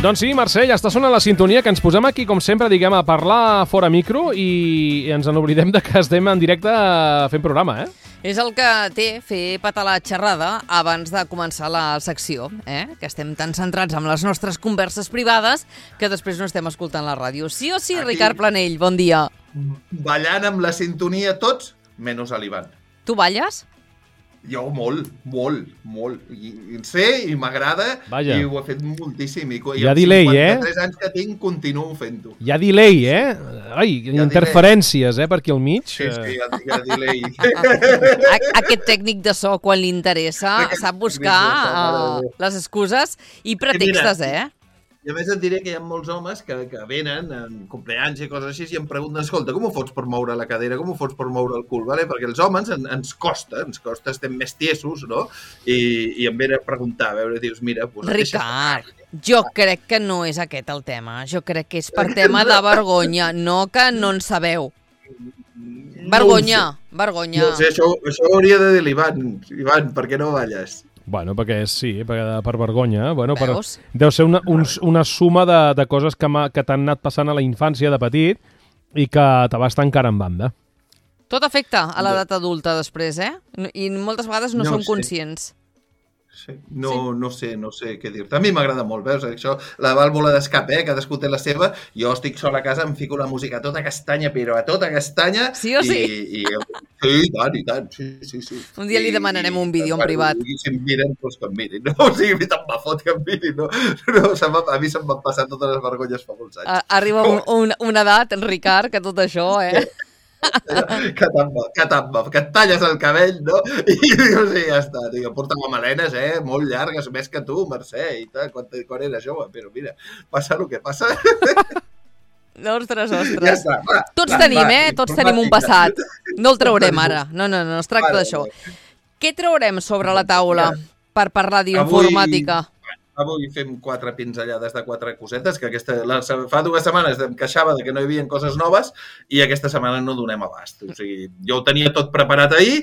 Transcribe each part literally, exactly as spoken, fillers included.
Doncs sí, Mercè, ja està sonant la sintonia, que ens posem aquí, com sempre, diguem, a parlar fora micro i ens n'oblidem de que estem en directe fent programa, eh? És el que té fer patar la xerrada abans de començar la secció, eh? Que estem tan centrats en les nostres converses privades que després no estem escoltant la ràdio. Sí o sí, aquí, Ricard Planell, bon dia. Ballant amb la sintonia tots, menys a l'Ivan. Tu balles? Jo molt, molt, molt. I, i sé i m'agrada i ho he fet moltíssim. I, hi ha delay, eh? Amb cinquanta-tres anys que tinc, continuo fent-ho. Hi ha delay, eh? Ai, hi ha interferències, delay. eh, per aquí al mig. Sí, sí, hi ha, hi ha delay. Aquest tècnic de so, quan li interessa, sap buscar uh, les excuses i pretextes, eh? I a més et diré que hi ha molts homes que, que venen en compleanys i coses així i em pregunten, escolta, com ho fots per moure la cadera, com ho fots per moure el cul, vale? Perquè els homes en, ens costa, ens costa, estem més tiesos, no? I, i em venen a preguntar, a veure, dius, mira... Pues, Ricard, jo crec que no és aquest el tema, jo crec que és per tema de vergonya, no que no en sabeu. Vergonya, no vergonya. No sé, això, això hauria de dir l'Ivan. Ivan, per què no balles? Bueno, perquè sí, per, per vergonya. Bueno, per, deu ser una, un, una suma de, de coses que, que t'han anat passant a la infància de petit i que te vas tancar en banda. Tot afecta a l'edat adulta després, eh? I moltes vegades no, no som sé. conscients. Sí. No, sí. no sé, no sé què dir-te. A mi m'agrada molt, veus? Això, la vàlvula d'escap, eh? Cadascú té la seva. Jo estic sol a casa, em fico la música a tota castanya, però a tota castanya. Sí o sí? I, i, sí, i tant, i tant. Sí, sí, sí. Un dia li demanarem I, un vídeo en privat. I si em miren, doncs que em mirin. No? O sigui, tant me fot que em mirin. No? No, a mi se'm van passar totes les vergonyes fa molts anys. Arriba un, un, una edat, Ricard, que tot això, eh? que tant va, que tant va, que et talles el cabell, no? I dius, sí, ja està, digue, portava melenes, eh, molt llargues, més que tu, Mercè, i tal, quan, quan era jove, però mira, passa el que passa. Ostres, ostres. Ja està, va, Tots va, tenim, va, eh, tots tenim un passat. No el traurem ara, no, no, no, es tracta vale, d'això. Vale. Què traurem sobre la taula per parlar d'informàtica? Avui... Avui fem quatre pinzellades de quatre cosetes, que aquesta, la, fa dues setmanes em queixava de que no hi havia coses noves i aquesta setmana no donem abast. O sigui, jo ho tenia tot preparat ahir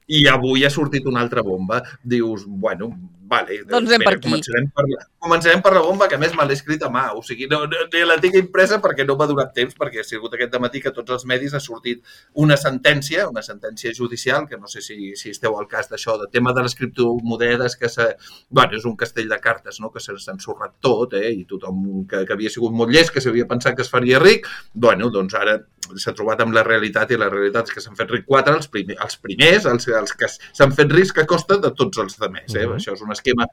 i avui ha sortit una altra bomba. Dius, bueno, vale, doncs anem per aquí. Començarem per, la, començarem per la bomba, que a més me l'he escrit a mà. O sigui, no, no, la tinc impresa perquè no m'ha donat temps, perquè ha sigut aquest dematí que tots els medis ha sortit una sentència, una sentència judicial, que no sé si, si esteu al cas d'això, de tema de les criptomonedes, que se, bueno, és un castell de cartes, no?, que s'ha ensorrat tot, eh? I tothom que, que havia sigut molt llest, que s'havia pensat que es faria ric, bueno, doncs ara s'ha trobat amb la realitat i la realitat és que s'han fet ric quatre, els, primer, els primers, els, els que s'han fet rics que costa de tots els altres. Eh? Uh-huh. Això és un esquema,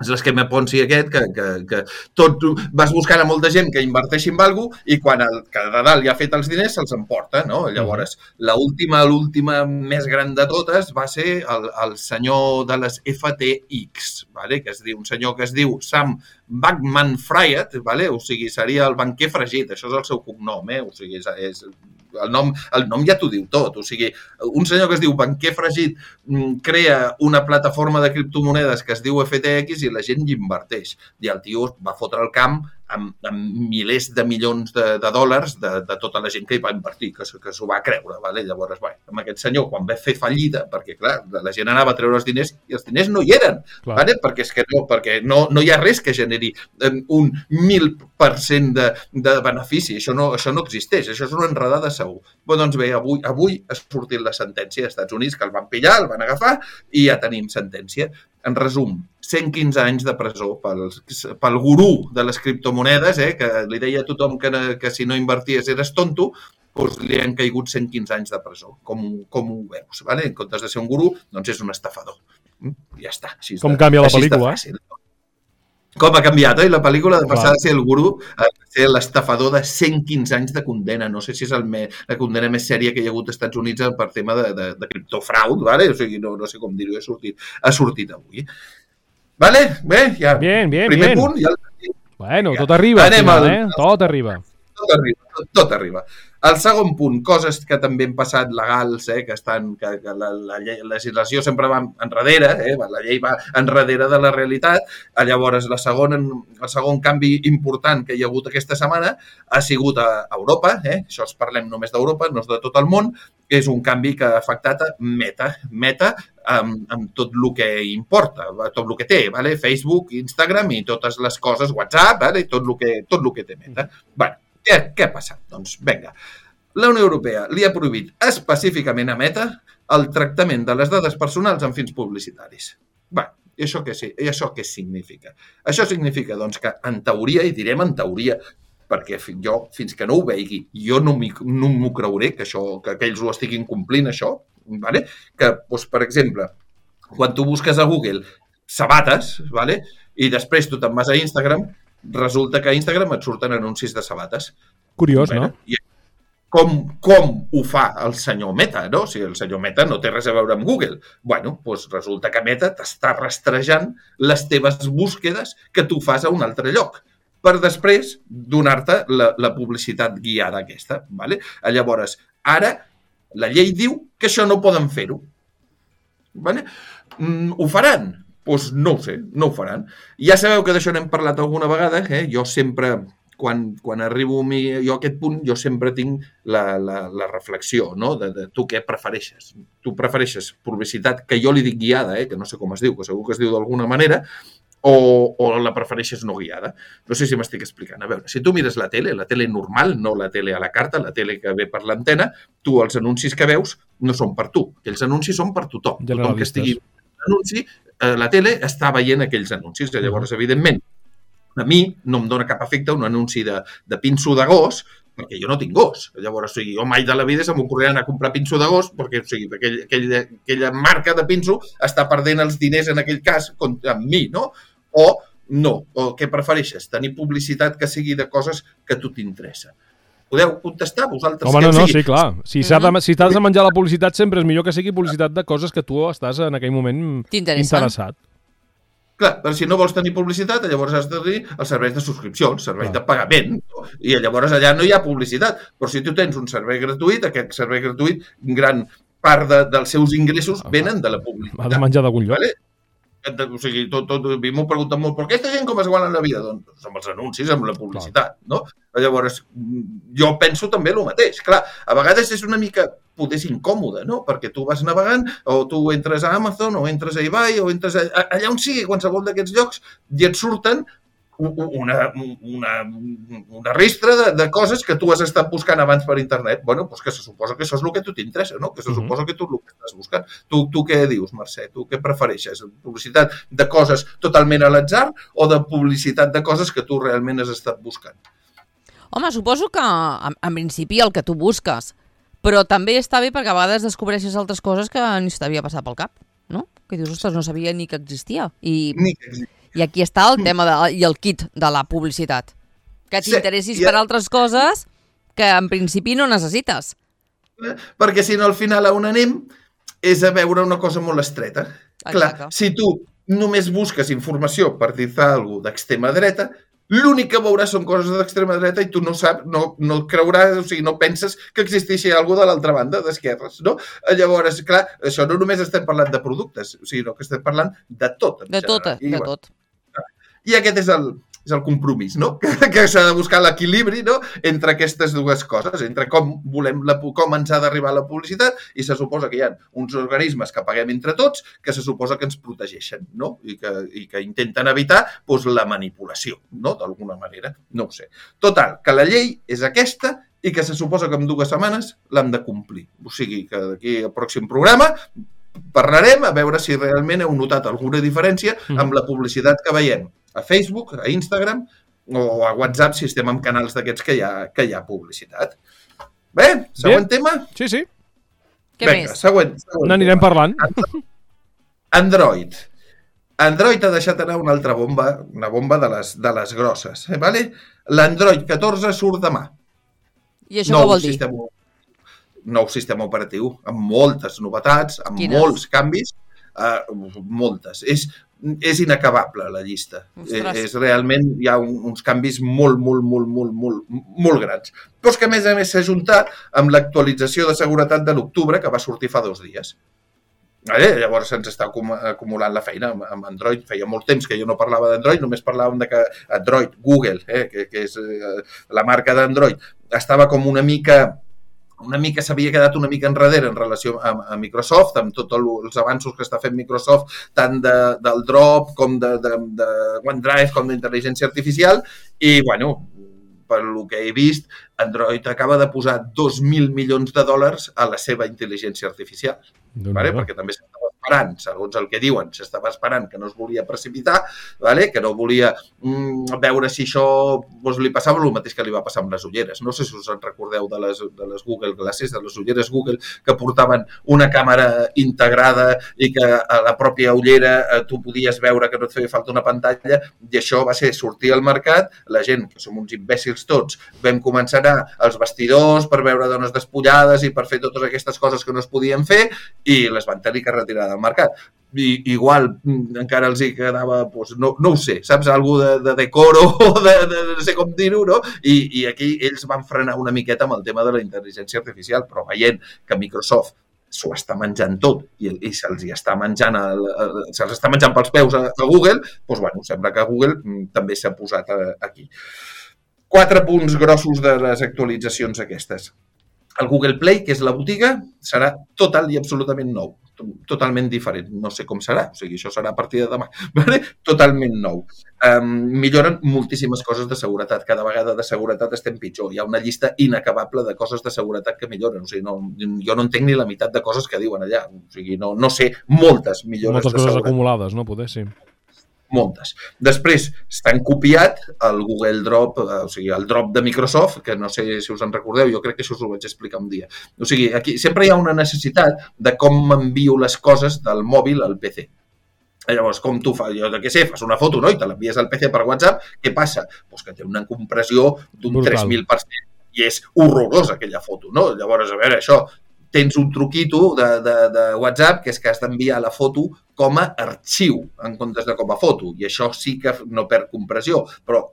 és l'esquema Ponzi aquest, que, que, que tot vas buscant a molta gent que inverteixi en alguna cosa i quan el que de dalt ja ha fet els diners se'ls emporta, no? Llavors, l'última, l'última més gran de totes va ser el, el senyor de les F T X, vale? Que es diu, un senyor que es diu Sam Bankman-Fried, vale? O sigui, seria el banquer fregit, això és el seu cognom, eh? O sigui, és, és, el, nom, el nom ja t'ho diu tot, o sigui, un senyor que es diu banquer fregit crea una plataforma de criptomonedes que es diu F T X i la gent hi inverteix. I el tio va fotre el camp amb, amb milers de milions de, de dòlars de, de tota la gent que hi va invertir, que, que s'ho va creure. Vale? Llavors, bueno, amb aquest senyor, quan va fer fallida, perquè clar, la gent anava a treure els diners i els diners no hi eren, vale? Perquè, és que no, perquè no, no hi ha res que generi un mil per cent de, de benefici. Això no, això no existeix, això és una enredada segur. Però doncs bé, avui, avui ha sortit la sentència als Estats Units, que el van pillar, el van agafar i ja tenim sentència. En resum, cent quinze anys de presó pel, pel gurú de les criptomonedes, eh, que li deia a tothom que, que si no inverties eres tonto, doncs li han caigut cent quinze anys de presó. Com, com ho veus? Vale? En comptes de ser un gurú, doncs és un estafador. Ja està. Així com està, canvia la pel·lícula? Com ha canviat, oi? La pel·lícula de passar de ser el gurú a ser l'estafador de cent quinze anys de condena. No sé si és el me, la condena més sèria que hi ha hagut als Estats Units per tema de, de, de criptofraud, vale? O sigui, no, no sé com dir-ho, ha sortit, ha sortit avui. Vale? Bé, ja. Bien, bien, Primer bien. punt. Ja... Bueno, tot arriba, al final, eh? Tot arriba. tot arriba, tot, tot arriba. El segon punt, coses que també han passat legals, eh, que estan, que, que la, la, llei, la legislació sempre va enrere, eh, la llei va enrere de la realitat. Llavors, la segona, el segon canvi important que hi ha hagut aquesta setmana ha sigut a Europa, eh, això es parlem només d'Europa, no és de tot el món, és un canvi que ha afectat a Meta, Meta amb, amb tot el que importa, tot el que té, vale? Facebook, Instagram i totes les coses, WhatsApp, vale? tot, el que, tot el que té Meta. Bé, què, què ha passat? Doncs vinga, la Unió Europea li ha prohibit específicament a Meta el tractament de les dades personals en fins publicitaris. Bé, i això què, i això què significa? Això significa doncs, que en teoria, i direm en teoria, perquè jo, fins que no ho veigui, jo no m'ho no creuré que, això, que aquells ho estiguin complint, això, vale? Que, doncs, per exemple, quan tu busques a Google sabates, vale? I després tu te'n vas a Instagram, resulta que a Instagram et surten anuncis de sabates. Curiós, no? I com, com ho fa el senyor Meta, no? O sigui, el senyor Meta no té res a veure amb Google. Bueno, doncs resulta que Meta t'està rastrejant les teves búsquedes que tu fas a un altre lloc, per després donar-te la, la publicitat guiada aquesta. Vale? Llavors, ara la llei diu que això no poden fer-ho. Vale? Mm, ho faran? Doncs no ho sé, no ho faran. Ja sabeu que d'això n'hem parlat alguna vegada, eh? Jo sempre, quan, quan arribo a, mi, jo a aquest punt, jo sempre tinc la, la, la reflexió, no? De, de tu què prefereixes. Tu prefereixes publicitat que jo li dic guiada, eh? Que no sé com es diu, que segur que es diu d'alguna manera, O, o la prefereixes no guiada. No sé si m'estic explicant. A veure, si tu mires la tele, la tele normal, no la tele a la carta, la tele que ve per l'antena, tu els anuncis que veus no són per tu. Aquells anuncis són per tothom. Tothom que estigui en anunci, eh, la tele està veient aquells anuncis. Llavors, evidentment, a mi no em dóna cap efecte un anunci de, de pinso de gos, perquè jo no tinc gos. Llavors, o sigui, jo mai de la vida se m'ocorrirà anar a comprar pinso de gos perquè o sigui, aquell, aquell, aquella marca de pinso està perdent els diners en aquell cas amb mi, no? O no, o què prefereixes? Tenir publicitat que sigui de coses que a tu t'interessa. Podeu contestar vosaltres? Home, no, no, sí, clar. Si mm-hmm. de, si t'has de menjar la publicitat, sempre és millor que sigui publicitat de coses que tu estàs en aquell moment interessat. Clar, però si no vols tenir publicitat, llavors has de tenir els serveis de subscripció, els serveis de pagament, i llavors allà no hi ha publicitat. Però si tu tens un servei gratuït, aquest servei gratuït, gran part de, dels seus ingressos venen de la publicitat. Ha de menjar d'algun lloc. Vale? O sigui, tot, tot, a mi m'ho pregunten molt, però aquesta gent com es guanya la vida? Doncs amb els anuncis, amb la publicitat, no? Llavors, jo penso també el mateix. Clar, a vegades és una mica, potser és incòmode, no? Perquè tu vas navegant, o tu entres a Amazon, o entres a eBay, o entres a, allà on sigui, qualsevol d'aquests llocs, i et surten una, una, una ristra de, de coses que tu has estat buscant abans per internet. Bueno, doncs que se suposa que això és el que a tu t'interessa, no? Que se suposa que tu és el que estàs buscant. Tu, tu què dius, Mercè? Tu què prefereixes? Publicitat de coses totalment a l'atzar o de publicitat de coses que tu realment has estat buscant? Home, suposo que en, en principi el que tu busques, però també està bé perquè a vegades descobreixes altres coses que ni t'havia passat pel cap, no? Que dius, ostres, no sabia ni que existia. I... Ni que existia. I aquí està el tema de, i el kit de la publicitat. Que t'interessis sí, per altres coses que en principi no necessites. Perquè si no al final on anem és a veure una cosa molt estreta. Exacte. Clar, si tu només busques informació per dir-te alguna cosa d'extrema dreta, l'únic que veuràs són coses d'extrema dreta i tu no saps, no, no creuràs, o sigui, no penses que existeixi alguna de l'altra banda, d'esquerres, no? Llavors, clar, això no només estem parlant de productes, sinó que estem parlant de tot. De tot, I, de tot. I aquest és el, és el compromís, no? Que, que s'ha de buscar l'equilibri, no? Entre aquestes dues coses, entre com volem la, com ens ha d'arribar la publicitat i se suposa que hi ha uns organismes que paguem entre tots que se suposa que ens protegeixen, no? I que, i que intenten evitar doncs, la manipulació, no? D'alguna manera, no ho sé. Total, que la llei és aquesta i que se suposa que en dues setmanes l'hem de complir. O sigui, que d'aquí al pròxim programa parlarem a veure si realment heu notat alguna diferència amb la publicitat que veiem a Facebook, a Instagram o a WhatsApp si estem en canals d'aquests que hi ha, que hi ha publicitat. Bé, següent Bé. tema? Sí, sí. Què Vinga, més? Següent, següent N'anirem parlant. Android. Android ha deixat anar una altra bomba, una bomba de les, de les grosses. Eh, vale? L'Android catorze surt demà. I això què vol dir? Sistema, nou sistema operatiu, amb moltes novetats, amb Quines? molts canvis. uh, moltes. És, és inacabable la llista. Ostres. És realment, hi ha un, uns canvis molt, molt, molt, molt, molt, molt grans. Però és que a més a més s'ha juntat amb l'actualització de seguretat de l'octubre que va sortir fa dos dies. Vale? Llavors se'ns està acumulant la feina amb Android. Feia molt temps que jo no parlava d'Android, només parlàvem de que Android, Google, eh, que, que és eh, la marca d'Android, estava com una mica, una mica s'havia quedat una mica enrere en relació a, a Microsoft, amb tots els avanços que està fent Microsoft, tant de, del Drop com de, de, de OneDrive com d'intel·ligència artificial, i bueno, per lo que he vist, Android acaba de posar dos mil milions de dòlars a la seva intel·ligència artificial. Vale? Perquè també s'estava esperant, segons el que diuen, s'estava esperant que no es volia precipitar, vale? Que no volia mm, veure si això doncs, li passava el mateix que li va passar amb les ulleres. No sé si us en recordeu de les, de les Google Glasses, de les ulleres Google, que portaven una càmera integrada i que a la pròpia ullera eh, tu podies veure que no et feia falta una pantalla, i això va ser sortir al mercat, la gent, que som uns imbècils tots, vam començar a anar als vestidors per veure dones despullades i per fer totes aquestes coses que no es podien fer, i les van tenir que retirar del mercat. I, igual encara els hi quedava, doncs, no, no ho sé, saps? Algú de, de decoro o de, de no sé com dir-ho, no? I, I aquí ells van frenar una miqueta amb el tema de la intel·ligència artificial, però veient que Microsoft s'ho està menjant tot i, i se'ls està menjant el, el, se'ls està menjant pels peus a, a Google, doncs bueno, sembla que Google també s'ha posat a, aquí. Quatre punts grossos de les actualitzacions aquestes. El Google Play, que és la botiga, serà total i absolutament nou. Totalment diferent. No sé com serà. O sigui, això serà a partir de demà. Vale? Totalment nou. Um, milloren moltíssimes coses de seguretat. Cada vegada de seguretat estem pitjor. Hi ha una llista inacabable de coses de seguretat que milloren. O sigui, no, jo no entenc ni la meitat de coses que diuen allà. O sigui, no, no sé moltes millores moltes de seguretat. Moltes coses acumulades, no? Poder, sí. Moltes. Després s'han copiat el Google Drop, o sigui, el Drop de Microsoft, que no sé si us en recordeu, jo crec que això us ho vaig explicar un dia. O sigui, aquí sempre hi ha una necessitat de com m'envio les coses del mòbil al P C. Llavors, com tu fas? Jo què sé, fas una foto, no? I te l'envies al P C per WhatsApp, què passa? Pues que té una compressió d'un tres mil per cent i és horrorosa aquella foto, no? Llavors, a veure, això, tens un truquito de, de, de WhatsApp que és que has d'enviar la foto com a arxiu en comptes de com a foto, i això sí que no perd compressió, però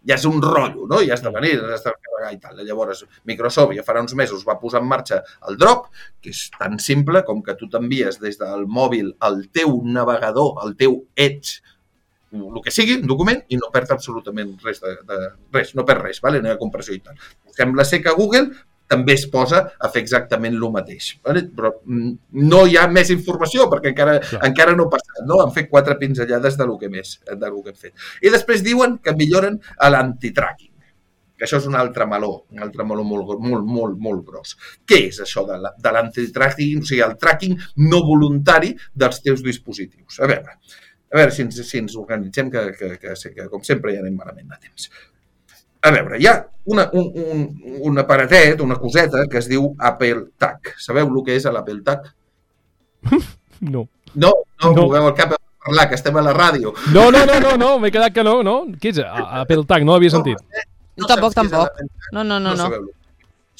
ja és un rotllo, no? Ja has de venir, has de carregar i tal. Llavors, Microsoft ja farà uns mesos va posar en marxa el Drop, que és tan simple com que tu t'envies des del mòbil al teu navegador, al teu Edge, el que sigui, un document, i no perd absolutament res, de, de, res no perd res, vale? No hi ha compressió i tal. Sembla ser que Google també es posa a fer exactament el mateix. Vale? Però no hi ha més informació, perquè encara, encara no ha passat. No? Han fet quatre pinzellades de lo que més, de lo que hem fet. I després diuen que milloren l'antitracking, que això és un altre meló, un altre meló molt, molt, molt, molt gros. Què és això de l'antitracking? O sigui, el tracking no voluntari dels teus dispositius. A veure, a veure si ens, si ens organitzem, que, que, que, que, que com sempre ja anem malament a temps. A veure, hi ha una, un, un, un aparatet, una coseta que es diu Apple Tag. Sabeu el que és l'Apple Tag? No. No? No? No. Moveu el cap a parlar, que estem a la ràdio. No, no, no, no, no. m'he quedat que no, no. Què és Apple Tag? No l'havia sentit. No, no, no tampoc, tampoc. No, no, no. no. no.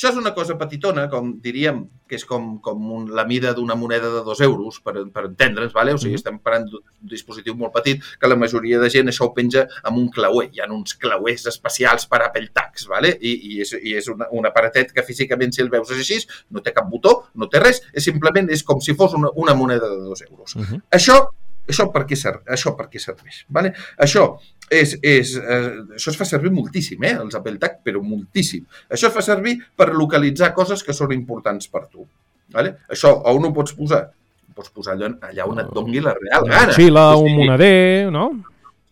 Això és una cosa petitona, com diríem, que és com, com un, la mida d'una moneda de dos euros, per, per entendre'ns, vale? O sigui, estem parlant d'un dispositiu molt petit, que la majoria de gent això ho penja amb un clauer. Hi ha uns clauers especials per Apple Tags, vale? I, i és, i és una, un aparatet que físicament, si el veus així, no té cap botó, no té res, és simplement és com si fos una, una moneda de dos euros. Uh -huh. Això, això per què serveix? Això per què serveix? Vale? Això És, és, eh, això es fa servir moltíssim, eh, els Apple Tag, però moltíssim. Això es fa servir per localitzar coses que són importants per tu. Vale? Això, on ho pots posar? Ho pots posar allà, allà on et doni la real gana. Una xila, un moneder, no?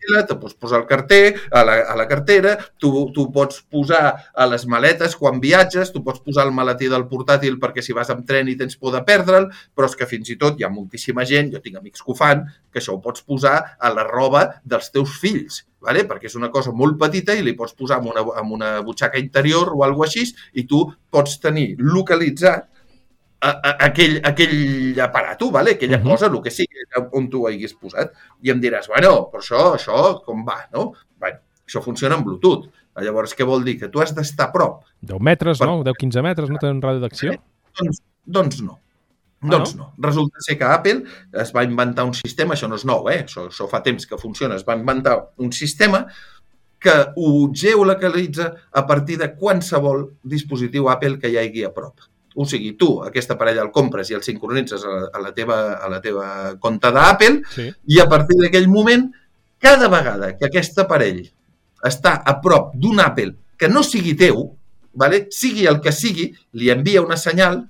Te pots posar el carter, a la, a la cartera, tu, tu pots posar a les maletes quan viatges, tu pots posar el maletí del portàtil perquè si vas amb tren i tens por de perdre'l, però és que fins i tot hi ha moltíssima gent, jo tinc amics que ho fan, que això ho pots posar a la roba dels teus fills, vale? Perquè és una cosa molt petita i li pots posar en una, en una butxaca interior o alguna així i tu pots tenir localitzat A, a, aquell, aquell aparato, vale? Aquella uh -huh. cosa, el que sigui, on tu ho haguis posat. I em diràs, bueno, però això, això com va, no? Bueno, això funciona en Bluetooth. Llavors, què vol dir? Que tu has d'estar a prop. deu metres, per... no? deu quinze metres, no? Té un ràdio d'acció? Doncs, doncs no. Ah, doncs no. no. Resulta ser que Apple es va inventar un sistema, això no és nou, eh? això, això fa temps que funciona, es va inventar un sistema que ho geolocalitza a partir de qualsevol dispositiu Apple que hi hagi a prop. O sigui, tu aquest aparell el compres i el sincronitzes a la, a la, teva, a la teva compte d'Apple sí. i a partir d'aquell moment, cada vegada que aquest aparell està a prop d'un Apple que no sigui teu, vale? Sigui el que sigui, li envia una senyal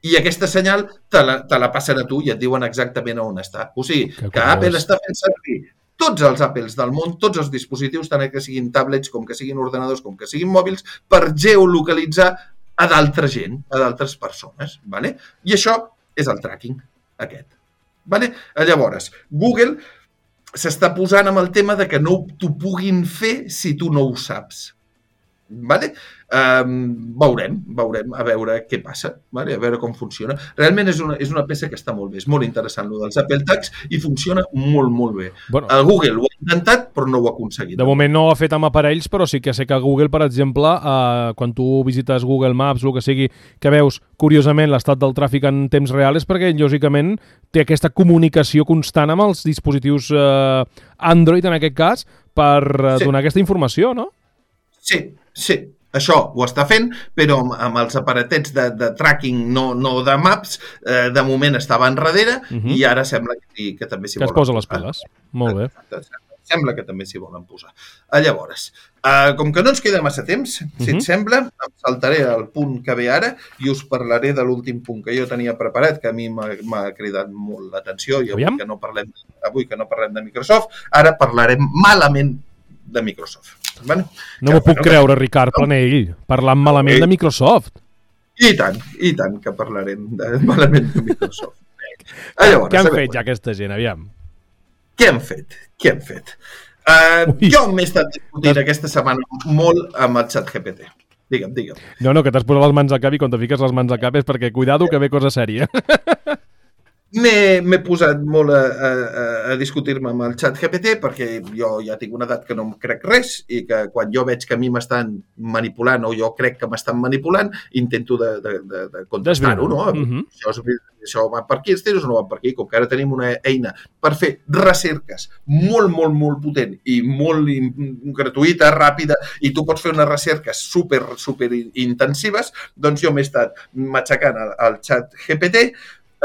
i aquesta senyal te la, te la passen a tu i et diuen exactament on està. O sigui, que, que Apple està fent servir tots els Apples del món, tots els dispositius, tant que siguin tablets, com que siguin ordenadors, com que siguin mòbils, per geolocalitzar a d'altra gent, a d'altres persones. Vale? I això és el tracking, aquest. Vale? Llavors, Google s'està posant amb el tema de que no t'ho puguin fer si tu no ho saps. Vale? Um, veurem, veurem, a veure què passa, vale? A veure com funciona. Realment és una, és una peça que està molt bé, és molt interessant, el dels Apple Tags, i funciona molt, molt bé. Bueno, el Google ho ha intentat, però no ho ha aconseguit. De moment no ho ha fet amb aparells, però sí que sé que Google, per exemple, eh, quan tu visites Google Maps, el que sigui, que veus, curiosament, l'estat del tràfic en temps real, és perquè, lògicament, té aquesta comunicació constant amb els dispositius eh, Android, en aquest cas, per eh, sí. donar aquesta informació, no? Sí, sí. Això ho està fent, però amb, amb els aparatets de, de tracking, no, no de maps, eh, de moment estava enrere uh-huh. i ara sembla que, que també s'hi volen posar. Que es posa les piles. Molt bé. Sembla que també s'hi volen posar. Llavors, eh, com que no ens queda massa temps, uh-huh. si et sembla, em saltaré al punt que ve ara i us parlaré de l'últim punt que jo tenia preparat, que a mi m'ha cridat molt l'atenció i avui que, no parlem, avui que no parlem de Microsoft, ara parlarem malament de Microsoft. Vale? No m'ho puc bueno, creure, que... Ricard Planell, parlant malament eh, de Microsoft. I tant, i tant que parlarem de, malament de Microsoft. Llavors, què han fet ja aquesta gent, aviam? Què han fet? Què han fet? Uh, jo m'he estat discutint aquesta setmana molt amb el ChatGPT. Digue'm, digue'm. No, no, que t'has posat les mans al cap i quan te fiques les mans al cap és perquè, cuidado, que ve cosa sèria. M'he posat molt a, a, a discutir-me amb el ChatGPT perquè jo ja tinc una edat que no em crec res i que quan jo veig que a mi m'estan manipulant o jo crec que m'estan manipulant, intento de, de, de, de contestar-ho, no? Uh-huh. Això, això va per aquí, els tiros no van per aquí. Com que ara tenim una eina per fer recerques molt, molt, molt potent i molt gratuïta, ràpida, i tu pots fer unes recerques super, super intensives, doncs jo m'he estat matxacant al, al ChatGPT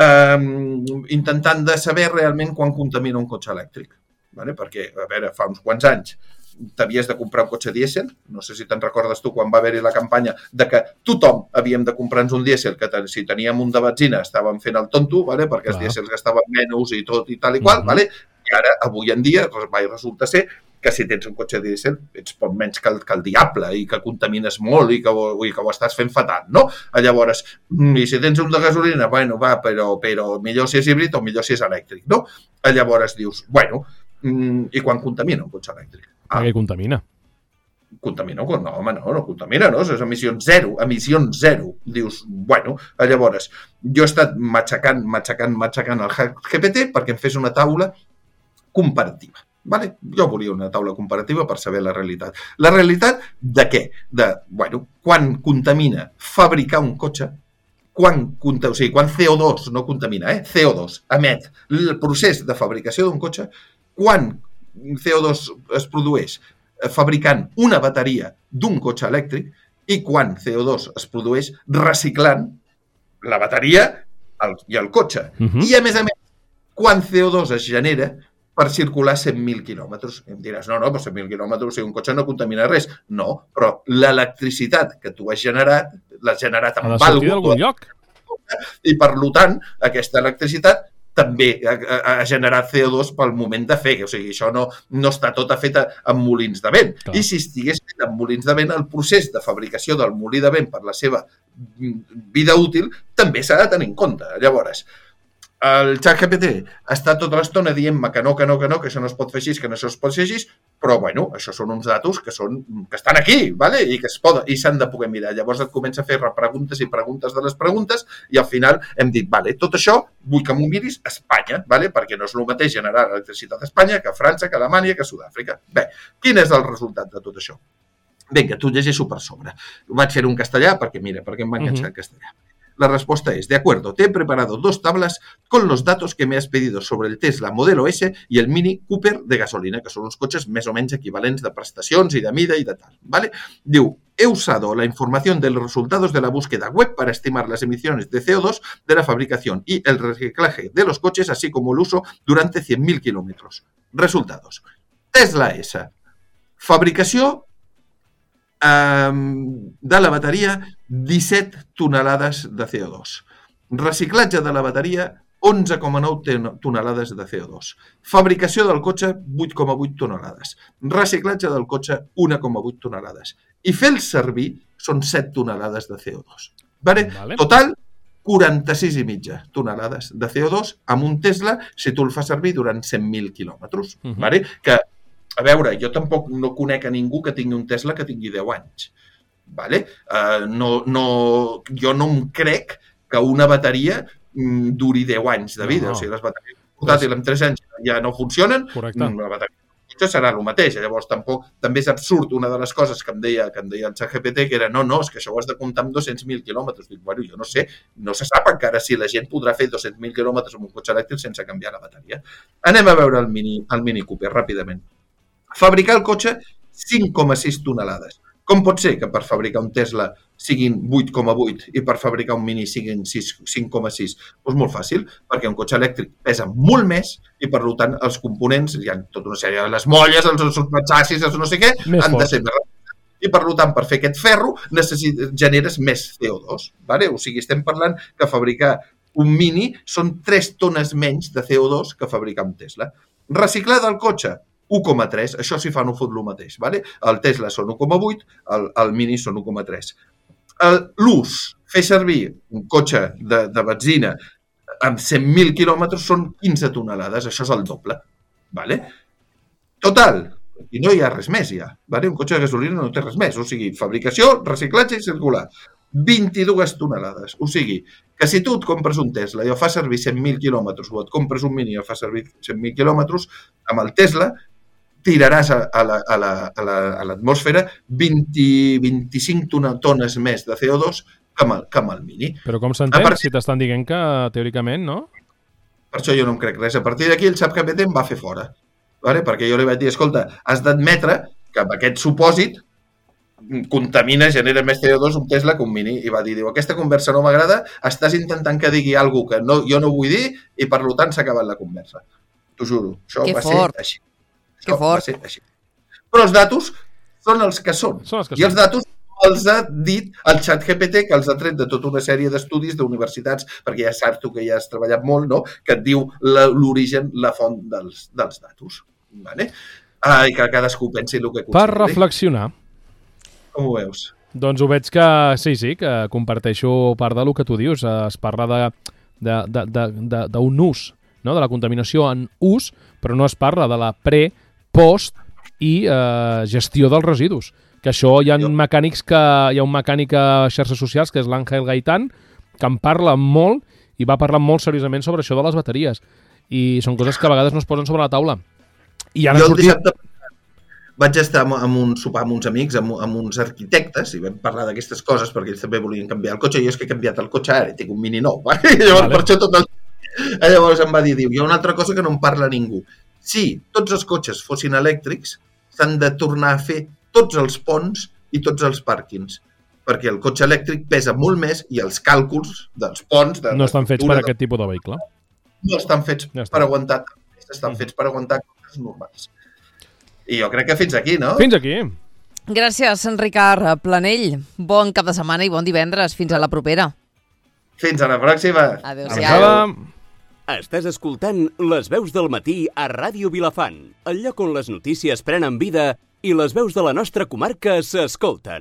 Um, intentant de saber realment quan contamina un cotxe elèctric. Vale? Perquè, a veure, fa uns quants anys t'havies de comprar un cotxe dièsel, no sé si te'n recordes tu quan va haver-hi la campanya de que tothom havíem de comprar-nos un dièsel, que si teníem un de benzina estàvem fent el tonto, vale? Perquè els dièsels gastaven menys i tot i tal i qual, uh-huh. vale? I ara, avui en dia, resulta ser que si tens un cotxe dièsel ets poc menys que el, que el diable i que contamines molt i que, i que ho estàs fent fatal, no? Llavors, i si tens un de gasolina, bueno, va, però, però millor si és híbrid o millor si és elèctric, no? Llavors dius, bueno, i quan contamina un cotxe elèctric? Ah, què contamina? Contamina? No, home, no, no contamina, no? És emissions zero, emissions zero. Dius, bueno, llavors, jo he estat matxacant, matxacant, matxacant el G P T perquè em fes una taula comparativa. Vale? Jo volia una taula comparativa per saber la realitat. La realitat de què? De, bueno, quan contamina fabricar un cotxe, quan, o sigui, quan C O dos no contamina, eh? C O dos emet el procés de fabricació d'un cotxe, quan C O dos es produeix fabricant una bateria d'un cotxe elèctric i quan C O dos es produeix reciclant la bateria i el cotxe. Uh-huh. I a més a més, quan C O dos es genera per circular cent mil quilòmetres. Em diràs, no, no, però cent mil quilòmetres, si un cotxe no contamina res. No, però l'electricitat que tu has generat, l'has generat amb alguna cosa. d'algun lloc. I per tant, aquesta electricitat també ha, ha generat C O dos pel moment de fer. O sigui, això no, no està tota feta amb molins de vent. Clar. I si estigués fet amb molins de vent, el procés de fabricació del molí de vent per la seva vida útil també s'ha de tenir en compte. Llavors, el ChatGPT està tota l'estona dient-me que no, que no, que no, que això no es pot fer així, que no això es pot fer així, però, bueno, això són uns datos que, són, que estan aquí, ¿vale? I que es poden, i s'han de poder mirar. Llavors et comença a fer preguntes i preguntes de les preguntes i al final hem dit, vale, tot això vull que m'ho miris a Espanya, ¿vale? Perquè no és el mateix generar electricitat a Espanya que a França, que a Alemanya, que a Sud-àfrica. Bé, quin és el resultat de tot això? Vinga, t'ho llegeixo per sobre. Vaig fer un castellà perquè, mira, perquè em va enganxar uh-huh. el castellà. La respuesta es, de acuerdo, te he preparado dos tablas con los datos que me has pedido sobre el Tesla Modelo S y el Mini Cooper de gasolina, que son uns cotxes més o menys equivalents de prestacions i de mida i de tal. ¿Vale? Diu, he usado la información de los resultados de la búsqueda web para estimar las emisiones de C O dos de la fabricación y el reciclaje de los coches, así como el uso durante cien mil kilómetros. Resultados. Tesla S. Fabricació Um, de la bateria, disset tonelades de C O dos. Reciclatge de la bateria, onze coma nou tonelades de C O dos. Fabricació del cotxe, vuit coma vuit tonelades. Reciclatge del cotxe, un coma vuit tonelades. I fer-el servir són set tonelades de C O dos. Vale? Vale. Total, quaranta-sis i mitja tonelades de C O dos amb un Tesla si tu el fas servir durant cent mil quilòmetres. Uh-huh. Vale? Que a veure, jo tampoc no conec a ningú que tingui un Tesla que tingui deu anys. Vale? Uh, no, no, jo no em crec que una bateria mm, duri deu anys de vida. No, no. O sigui, les bateries portàtils amb tres anys ja no funcionen. Correcte. La bateria serà el mateix. Llavors, tampoc, també és absurd una de les coses que em deia, que em deia el ChatGPT, que era no, no, és que això ho has de comptar amb dos-cents mil quilòmetres. Dic, bueno, jo no sé, no se sap encara si la gent podrà fer dos-cents mil quilòmetres amb un cotxe elèctric sense canviar la bateria. Anem a veure el Mini, el Mini Cooper, ràpidament. Fabricar el cotxe cinc coma sis tonelades. Com pot ser que per fabricar un Tesla siguin vuit coma vuit i per fabricar un Mini siguin cinc coma sis? Doncs molt fàcil, perquè un cotxe elèctric pesa molt més i, per tant, els components, hi ha tota una sèrie de les molles, els, els xassis, els no sé què, més han fort. De ser més ràpids. I, per tant, per fer aquest ferro necessites, generes més C O dos. Vale? O sigui, estem parlant que fabricar un Mini són tres tones menys de C O dos que fabricar un Tesla. Reciclar del cotxe, u coma tres, això si fa no fot el mateix. Vale? El Tesla són u coma vuit, el, el Mini són u coma tres. L'ús, fer servir un cotxe de, de benzina amb cent mil quilòmetres són quinze tonelades, això és el doble. Vale? Total, i no hi ha res més ja. Vale? Un cotxe de gasolina no té res més, o sigui, fabricació, reciclatge i circular. vint-i-dues tonelades. O sigui, que si tu et compres un Tesla i el fas servir cent mil quilòmetres o et compres un Mini i el fas servir cent mil quilòmetres, amb el Tesla tiraràs a, a, la, a, la, a, la, a l'atmosfera vint a vint-i-cinc tones més de C O dos que amb el, que amb el Mini. Però com s'entén part... si t'estan dient que, teòricament, no? Per això jo no em crec res. A partir d'aquí el ChatGPT em va fer fora. Vale? Perquè jo li vaig dir, escolta, has d'admetre que amb aquest supòsit contamina, genera més C O dos un Tesla que un Mini. I va dir, diu, aquesta conversa no m'agrada, estàs intentant que digui alguna que no, jo no vull dir i per tant s'ha acabat la conversa. T'ho juro, això que va fort. Ser així. Que fort. Així. Però els datos són els que són. són els que I els datos els ha dit el ChatGPT, que els ha tret de tota una sèrie d'estudis d'universitats, perquè ja saps tu que ja has treballat molt, no? Que et diu la, l'origen, la font dels, dels datos. Vale? Ah, I que cadascú pensi el que consideri. Per reflexionar. Com ho veus? Doncs ho veig que sí, sí, que comparteixo part del que tu dius. Es parla de, de, de, de, de, d'un ús, no? De la contaminació en ús, però no es parla de la pre, post i eh, gestió dels residus. Que això hi ha mecànics que hi ha un mecànic a xarxes socials que és l'Àngel Gaitán, que en parla molt i va parlar molt seriosament sobre això de les bateries. I són coses que a vegades no es posen sobre la taula. I ara jo el sortit... dissabte vaig estar amb un sopar amb uns amics, amb, amb uns arquitectes, i vam parlar d'aquestes coses perquè ells també volien canviar el cotxe. Jo és que he canviat el cotxe ara i tinc un Mini nou. Vale? Llavors, vale. Per això tot el... Llavors em va dir, diu, hi ha una altra cosa que no en parla ningú. Si tots els cotxes fossin elèctrics, s'han de tornar a fer tots els ponts i tots els pàrquings, perquè el cotxe elèctric pesa molt més i els càlculs dels ponts... De no estan fets per de... aquest tipus de vehicle. No estan fets ja per aguantar, estan fets per aguantar coses normals. I jo crec que fins aquí, no? Fins aquí. Gràcies, Ricard Planell. Bon cap de setmana i bon divendres. Fins a la propera. Fins a la pròxima. Adéu-siau. Estàs escoltant Les Veus del Matí a Ràdio Vilafant, el lloc on les notícies prenen vida i les veus de la nostra comarca s'escolten.